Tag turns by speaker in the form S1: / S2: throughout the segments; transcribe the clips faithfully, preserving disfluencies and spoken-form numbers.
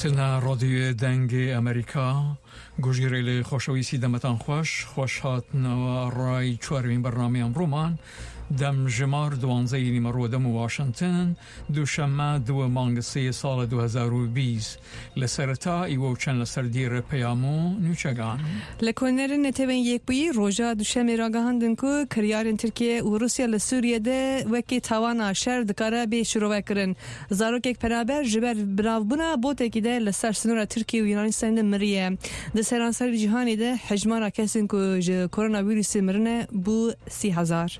S1: هاتنە ڕادیۆ دەنگی ئەمریکا گوژیرەیل خۆشەویستی دەمەتان خوەش خوەش هاتنەوە ڕای چوارمین بەرنامەی ئەمڕۆمان دەم ژمار دوانزەی نیمەڕۆ دەم و واشنگتن دووشەممە دووە مانگ سێ ساڵ دوو هەزار و بیست لە سەرەتا ئیوە و چەند لەسەر دیرە پەیام و نوچەگان.
S2: لە کۆنەرن نەتەوەن یەکبووی ڕۆژا دوشەمێ راگەهاندن ku kiryarên Tirkiye û Rusya li Sûriye de wekî tawana şer dikare bê şirovekirin. Zarokek penaber ji ber biravbûna botekî de li ser sinora Tirkiye û Yunanistanê de miriye. Di seranserî cîhanê de hejmara kesên ku ji koronavîrusê mirine bû sî hezar.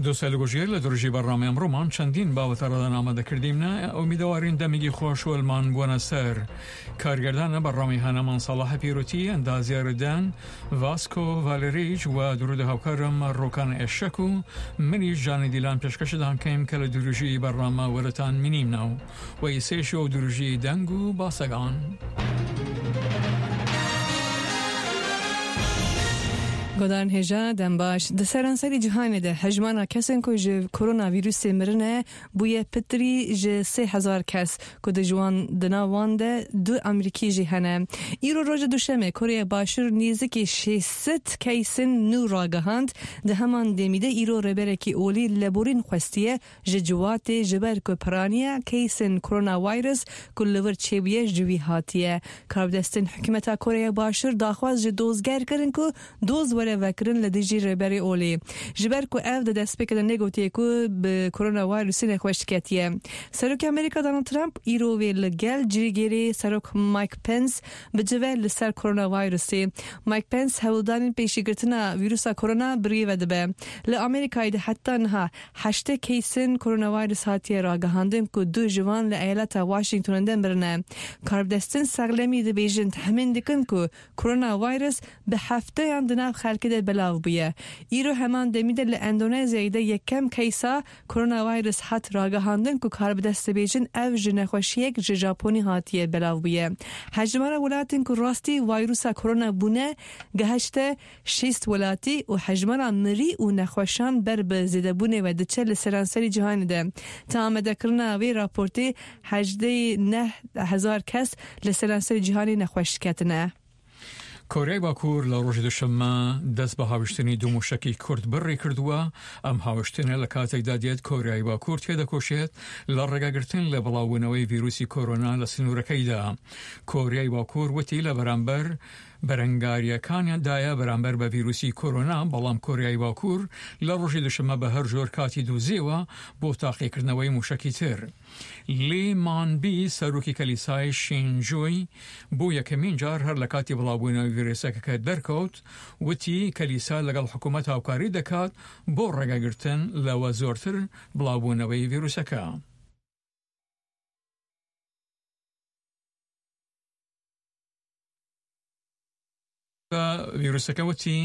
S1: دووسەل گوژیر لە درژی بەرنامەی ئەمڕۆمان چەندین باوەتە ڕادەنامە دەکردیمنە ئومیدەوارین دەمێکی خۆش وەلمان بووەنە سەر کارگەردانە بەرنامەی هەنەمان ساڵح پیرۆتی ئەندازیاردان ڤاسکۆ ڤالێریچ و درودە هاوکارم ڕۆکان ئێشەک و منیش جانی دیلان پێشکەشدان کەیم کە لە درژی بەرنامە وەرەتان منیمنەوە و ئیسێش و درژی دەنگ و باسەگان.
S2: گۆدان هێژا دەمباش di seranserî cîhanê de hejmara kesên ku ji koronavîrusê mirine bûye pitirî ji sê hezar kes ku di ji wan di nav wan de du Amerîkî jî hene. Îro roja duşemê Koreya Başûr nêzîkî şêst sed keysên nû ragihand di heman demî de îro rêberekî olî leborîn xwestiye ji ciwatê ji ber ku piraniya keysên koronavîrus ku li wir çêbûye ji wî hatiye. Karbidestên hikûmeta Koreya Başûr daxwaz ji dozger kirin ku doz were vekirin li dijî rêberê olê. Ji ber ku ev di destpêkê de negotiye ku bi koronavîrusê nexweş ketiye. Serokê Amerîka Donald Trump îro wê li gel cîgirê Serok Mike Pence bicive li ser koronavîrusê. Mike Pence hewldanên pêşîgirtina vîrusa korona birêve dibe. Li Amerîkayê de heta niha heştê keysên koronavîrus hatiye ragihandin ku du ji wan li eyaleta Washingtonê de mirine. Karbidestên sexlemî dibêjin tehmîn dikin ku koronavîrus bi hefteyan di nav xelkê de belav bûye. Îro heman demî de li Endonezyayê de yekem keysa koronavîrus hat ragihandin ku karbidest dibêjin ev ji nexweşiyek ji Japonî hatiye belav bûye. Hejmara welatên ku rastî vîrusa korona bûne gihişte şêst welatî û hejmara mirî û nexweşan ber bi zêdebûnê ve diçe li seranserî cîhanê de. Te amadekirina vê raportê hejdeh neh hezar kes li seranserî cîhanê nexweş ketine.
S1: کۆریای باکوور لە ڕۆژی دوشەممە دەست بە هاوشتنی دوو موشەکی کورد بڕی کردووە. ئەم هاوشتنە لە کاتێکدا دێت کۆریای باکوور تێدەکۆشێت لە ڕێگاگرتن لە بڵاوبوونەوەی ڤیروسی کۆرۆنا لە سنوورەکەیدا. کۆریای باکوور وتی لە بەرامبەر بەرەنگاریەکانیاندایە بەرامبەر بە ڤیروسی کۆرۆنا، بەڵام کۆریای باکوور لە ڕۆژی دوشەممە بە هەر جۆر کاتی دووزیەوە بۆ تاقیکردنەوەی موشەکی تر. لی مانبی سەرۆکی کەلیسای شینجۆی بۆ یەکەمین جار هەر لە کاتی بڵاوبوونەوەی ڤیروسەکە کە دەرکەوت وتی کەلیسا لەگەڵ حکوومەت هاوکاری دەکات بۆ ڕێگەگرتن لەوە زۆرتر بڵاوبوونەوەی ڤیروسەکە. ڤیروسەکە وتی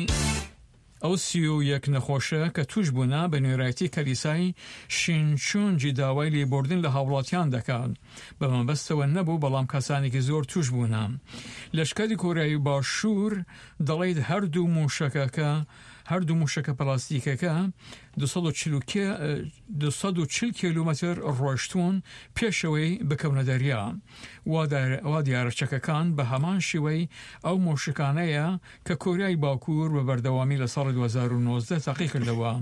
S1: ئەو سی و یەک نەخۆشە کە توش بوونە بە نوێرایەتی کەلیسای شینچونجی داوای لێبوردن لە هاوڵاتیان دەکات. بە مەبەستەوە نەبوو، بەڵام کەسانێکی زۆر توش بوونە. لەشکری کۆریای باشوور دەڵێت هەردوو موشەکەکە هەردوو موشەکە پلاستیکەکە دوو سەد و چل کیلۆمەتر ڕۆیشتوون پێشەوەی بکەونە دەریا. وا دیارە چەکەکان بە هەمان شێوەی ئەو مۆشکانەیە کە کۆریای باکوور بە بەردەوامی لە ساڵی دوو هەزار و نۆزدە تاقی کردەوە.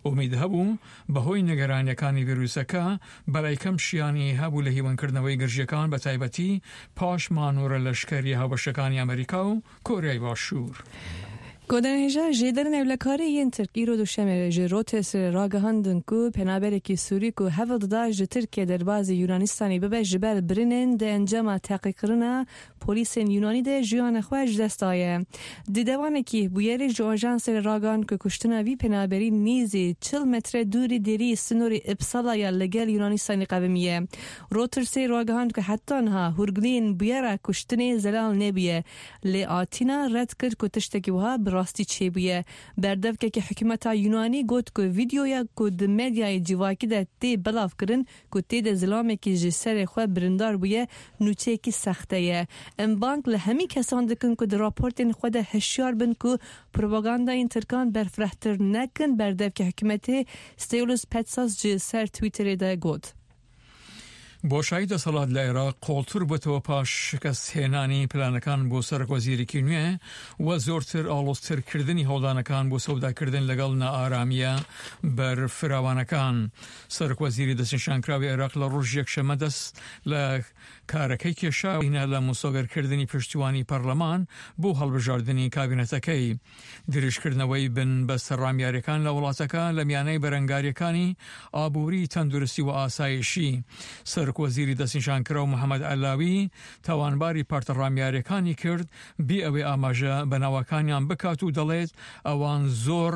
S1: ئومید هەبوو بەهۆی نیگەرانیەکانی ڤیروسەکە بەلای کەم شیانی هەبوو لە هیوانکردنەوەی گرژیەکان بە تایبەتی پاش مانۆرە لەشکری هاوبەشەکانی ئەمریکا و کۆریای باشوور.
S2: گۆدان هێژا jêderên ewlekarî yên Tirk îro duşemê ji Reutersê ragihandin ku penaberekî Sûrî ku hewl dida ji Tirkiye derbazî Yunanistanê bibe ji ber birinên di encama teqîkirina polîsên Yunanî de jiyana xwe ji dest daye. Di dewanekî bûyerê ji ajansê ragihand ku kuştina vî penaberî nêzî çil metre dûrî derî sinorê Ipsala ya li gel Yunanistanê qewimiye. Reutersê ragihand ku heta niha hûrgiliyên bûyera kuştinê zelal nebûye lê Atîna red kir ku tiştekî wiha bi rastî çêbûye. Berdevkekî hikûmeta Yunanî got ku vîdeoya ku di medyayê civakî de tê belavkirin ku tê de zilamekî ji serê xwe birindar bûye nûçeyekî sexte ye. Em bang li hemî kesan dikin ku di raportên xwe de hişyar bin ku propagandayên Tirkan berfirehtir nekin, berdevkê hikûmetê Stelios Petsas ji ser Twitterê de got.
S1: بۆشایی دەسەڵات لە عێراق قوڵتر بووەتەوە پاش شکستهێنانی پلانەکان بۆ سەرۆکوەزیرێکی نوێ و زۆرتر ئاڵۆزترکردنی هەوڵدانەکان بۆ سەوداکردن لەگەڵ نائارامییە بەرفراوانەکان. سەرۆکوەزیری دەستنیشانکراوی عێراق لە ڕۆژی یەکشەممە دەست لە کارەکەی کێشا لە مسۆگەرکردنی پشتیوانی پەرلەمان بۆ هەڵبژاردنی کابینەتەکەی. درێژکردنەوەی بنبەستە ڕامیاریەکان لە وڵاتەکە لە میانەی بەرەنگاریەکانی ئابووری، تەندروستی و ئاسایشی. سەرۆکوەزیری دەستنیشانکراو محەممەد عەلاوی تاوانباری پارتە ڕامیاریەکانی کرد بێ ئەوەی ئاماژە بە ناوەکانیان بکات و دەڵێت ئەوان زۆر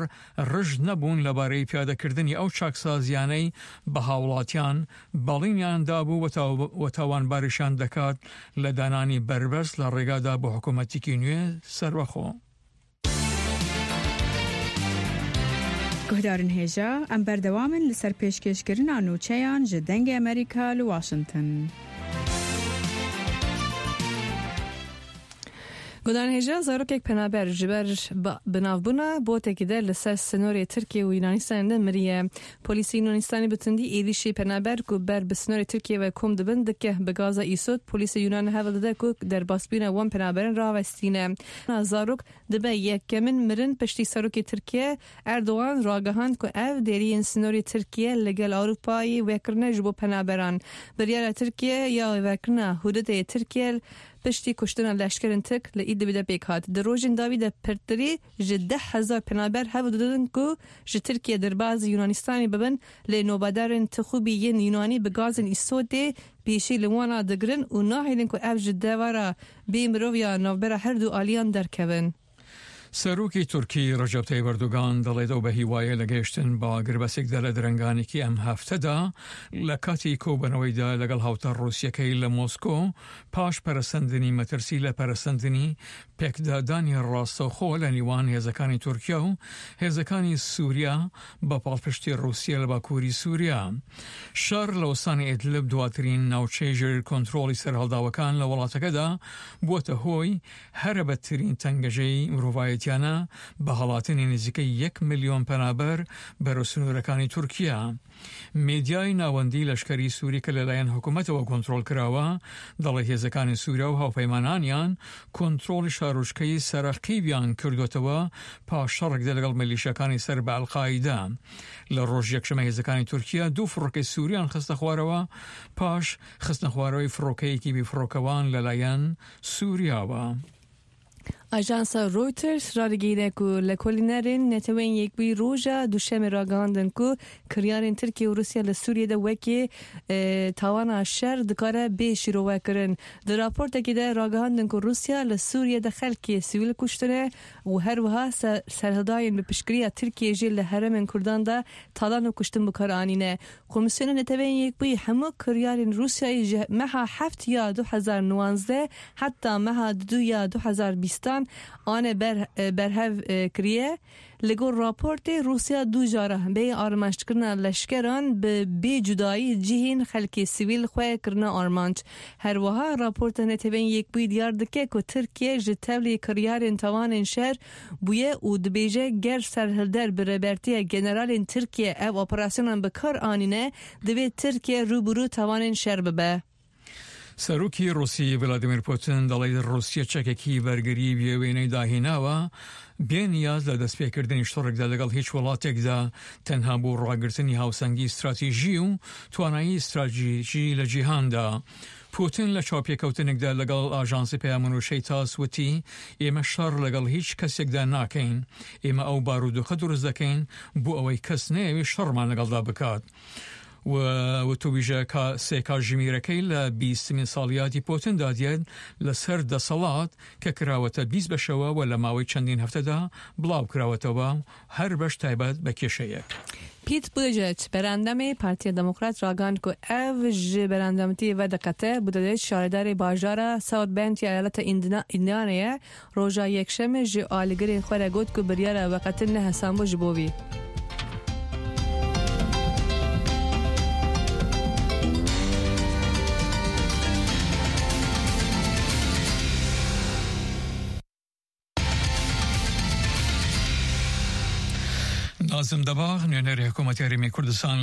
S1: ڕژد نەبوون لەبارەی پیادەکردنی ئەو چاکسازیانەی بە هاوڵاتیان بەڵینیان دابوو و تاوانباریشان دەکات لە دانانی بەربەست لە ڕێگادا بۆ حکوومەتێکی نوێ سەربەخۆ.
S3: گوهدارن هێژا ئەم بەردەوامن لەسەر پێشکێشکردنا نوچەیان ji دەنگê Amerîka li Washington.
S2: گودان هێژا zarokek penaber ji ber binavbûna botekî de li ser sinorê Tirkiye û Yunanistanê de miriye. Polîsê Yunanistanê bi tundî êrîşê penaber ku ber bi sinorê Tirkiye ve kom dibin dike bi gaza îsot. Polîsê Yunanê hewl dide ku derbasbûna wan penaberan rawestîne. Zarok dibe yekemin mirin piştî serokê Tirkiye Erdogan ragihand ku ev deriyên sinorê Tirkiye li gel Ewropayê vekirine ji bo penaberan. Biryara Tirkiye ya vekirina hududê Tirkiye piştî kuştina leşkerên Tirk li Idlibê de pêk hat. Di rojên dawî de pirtirî ji deh hezar penaber hewl didin ku ji Tirkiye derbazî Yunanistanê bibin, lê nobedarên tixûbî yên Yunanî bi gazên îsotê pêşî li wan digirin û nahêlin ku ev ji devera bêmirov ya navbera her du aliyan derkevin.
S1: سەرۆکی تورکی ڕەجەب تەیب ئەردۆغان دەڵێت ئەو بە هیوایە لە گەیشتن بە گربەسێکدا لە درەنگانێکی ئەم هەفتەدا لە کاتی کۆبەنەوەیدا لەگەڵ هاوتا ڕووسیەکەی لە مۆسکۆ پاش پەرەسەندنی مەترسی لە پەرەسەندنی پێکدادانی ڕاستەوخۆ لە نێوان هێزەکانی تورکیا و هێزەکانی سووریا بە پاڵپشتی ڕووسیا لە باکووری سووریا. شەڕ لە وەستانی ئیدلب دواترین ناوچەی ژێر کۆنترۆڵی سەرهەڵداوەکان لە وڵاتەکەدا بووەتە هۆی هەرە بەدترین تەنگەژەی مرۆڤایەتیانە بە هەڵاتنی نزیکەی یەک ملیۆن پەنابەر بەرەو سنوورەکانی تورکیا. میدیای ناوەندی لەشکری سووری کە لەلایەن حکوومەتەوە کۆنترۆڵ کراوە دەڵێ هێزەکانی سووریا و هاوپەیمانانیان کۆنترۆڵی شارۆچکەی سەرەقیبیان کردوێتەوە پاش شەڕێکدا لەگەڵ میلیشیاکانی سەر بە ئەلقاعیدە. لە ڕۆژ یەکشەممە هێزەکانی تورکیا دوو فڕۆکەی سووریان خستە خوارەوە پاش خستنە خوارەوەی فڕۆکەیەکی بێفڕۆکەوان لەلایەن سووریاوە.
S2: ئاژانسا Reuters radighîne ku lêkolînerên Neteweyên Yekbûyî roja duşemê ragihandin ku kiryarên Tirkiye û Rûsya li Sûriyê de wekî tawana şer dikare bê şîrovekirin. Di raportekê de ragihandin ku Rûsya li Sûriyê de xelkê sivîl kuştine û her wiha serhildayên bi piştgiriya Tirkiyê jî li herêmên Kurdan de talan û kuştin bikar anîne. Komîsyona Neteweyên Yekbûyî hemû kiryarên Rûsyayê ji meha heft ya du hezar nozdeh heta meha du ya du hezar bîstan ane ber berhev kiriye. Li gor raportê Rûsya du cara bê armanckirina leşkeran bi bê cudayî cihên xelkê sivîl xwe kirina armanc. Her wiha raporta Neteweyên Yekbûyî diyar dike ku Tirkiye ji tevlî kiryarên tawanên şer bûye û dibêje ger serhilder bi rêbertiya generalên Tirkiye ev operasyonan bi kar anîne divê Tirkiye rûbirû tawanên şer bibe.
S1: سەرۆکی ڕوسی ڤلادیمیر پوتین دەڵێت ڕووسیا چەکێکی بەرگری بێوێنەی داهێناوە بێ نیاز لە دەستپێکردنی شەڕێکدا لەگەڵ هیچ وڵاتێکدا تەنها بۆ ڕاگرتنی هاوسەنگی استراتیژی و توانایی استراتیژی لە جیهاندا. پوتین لە چاوپێکەوتنێکدا لەگەڵ ئاژانسی پەیامنووشەی تاس وتی ئێمە شەڕ لەگەڵ هیچ کەسێکدا ناکەین، ئێمە ئەو بارودۆخە دروست دەکەین بۆ ئەوەی کەس نەیەوێت شەڕمان لەگەڵدا بکات. وتوویژە سێ کاتژمێرەکەی لە بیستمین ساڵیاتی پوتیندا دێت لەسەر دەسەڵات کە کراوەتە بیست بەشەوە و لە ماوەی چەندین هەفتەدا بڵاو کراوەتەوە هەر بەش تایبەت بە کێشەیەک.
S2: Pete Buttigieg berendamê Partiya Demokrat ragihand ku ev ji berendamtiyê vediqete Buttigieg şaredarê bajara South Bend ya eyaleta Indianayê roja yekşemê ji alîgirên xwe re got ku biryara veqetin ne hesan bû ji bo wî.
S1: نازم دەباغ نوێنەری حکوومەتی هەرێمی کوردستان